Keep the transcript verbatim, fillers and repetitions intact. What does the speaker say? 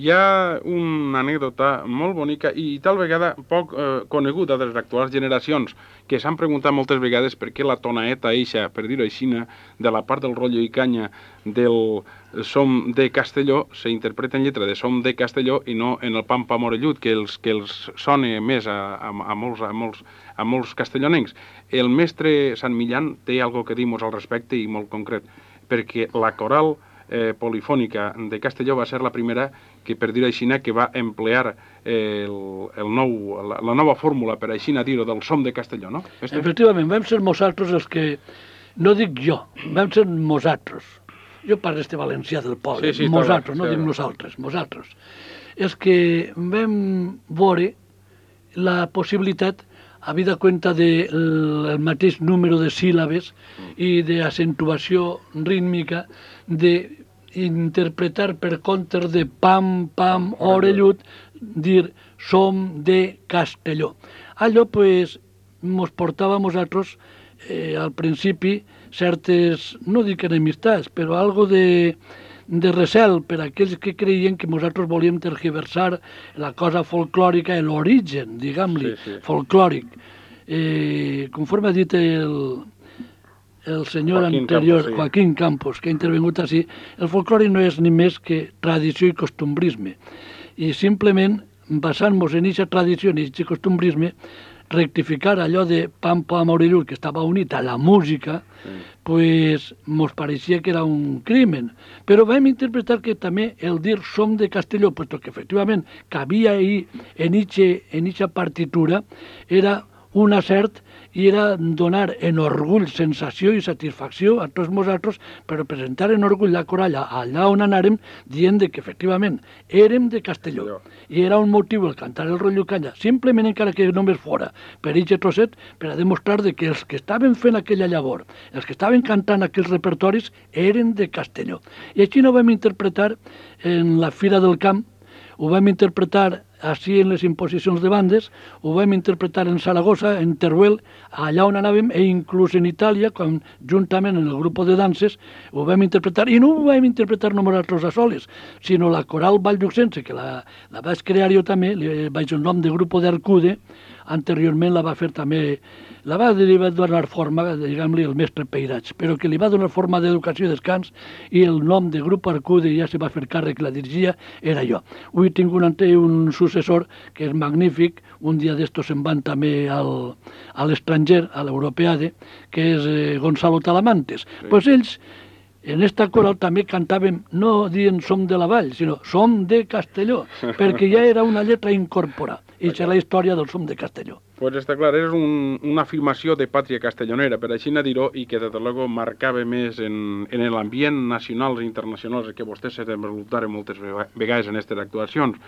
Hi ha una anècdota molt bonica i tal vegada poc eh, coneguda de les actuals generacions, que s'han preguntat moltes vegades per què la tonaeta eixa, per dir-ho així, de la part del rotllo i canya del Som de Castelló s'interpreta en lletra de Som de Castelló i no en el Pam Pam Orellut, que els, que els sona més a, a, a, molts, a, molts, a molts castellonencs. El mestre Sant Millán té algo que dir-nos al respecte i molt concret, perquè la coral eh, polifònica de Castelló va ser la primera que, per dir-ho així, que va emplear eh, el, el nou, la, la nova fórmula, per així dir-ho, del Som de Castelló, no? Este? Efectivament, vam ser nosaltres els que, no dic jo, vam ser nosaltres. Jo parlo este valencià del poble, sí, sí, nosaltres, no sí, dic nosaltres, nosaltres. És que vam veure la possibilitat, habida cuenta del mateix número de síl·labes i d'accentuació rítmica, d'interpretar per compte de pam, pam, orellut, dir Som de Castelló. Allò, pues, mos portava a nosaltres, eh, al principi, certes, no dic enemistats, però algo de, de recel per a aquells que creien que nosaltres volíem tergiversar la cosa folclòrica, l'origen, diguem-li, sí, sí. folclòric. Eh, conforme ha dit el, el senyor Joaquín anterior, Campos, sí. Joaquín Campos, que ha intervingut així, el folclòric no és ni més que tradició i costumbrisme. I simplement, basant-nos en aquesta tradició, en aquest costumbrisme, rectificar allò de Pam Pam Orellut, que estava unit a la música, sí. pues mos pareixia que era un crimen. Però vam interpretar que també el dir Som de Castelló, puesto que efectivament cabia ahí en eixa partitura, era un acert i era donar en orgull, sensació i satisfacció a tots nosaltres per presentar en orgull la coralla allà on anàrem, dient que efectivament érem de Castelló. I era un motiu el cantar el rotllo canya, simplement encara que només fora per aquest trosset, per a demostrar que els que estaven fent aquella llavor, els que estaven cantant aquells repertoris, eren de Castelló. I així no vam interpretar en la Fira del Camp, ho vam interpretar així en les imposicions de bandes, ho vam interpretar en Saragossa, en Teruel, allà on anàvem, e inclús en Itàlia, quan juntament en el grup de danses, ho vam interpretar, i no ho vam interpretar només nosaltres a soles, sinó la coral Valldruxense, que la, la vaig crear jo també, li vaig el nom de grup d'Arcude, anteriorment la va fer també, la va, li va donar forma, diguem-li, el mestre Peirats, però que li va donar forma d'educació i descans, i el nom de grup Arcude ja se va fer càrrec, la dirigia, era jo. Avui tinc un, un successor que és magnífic, un dia d'estos se'n van també al, a l'estranger, a l'Europeade, que és eh, Gonzalo Talamantes. Doncs sí. Pues ells, en esta coral també cantàvem, no dient Som de la Vall, sinó Som de Castelló, perquè ja era una lletra incorporada. I és la història del Som de Castelló. Pues està clar, és un, una afirmació de pàtria castellonera, per així dir-ho, i que, des de luego, marcava més en, en l'ambient nacional i internacional que vostès se desenvoluparen moltes vegades en aquestes actuacions.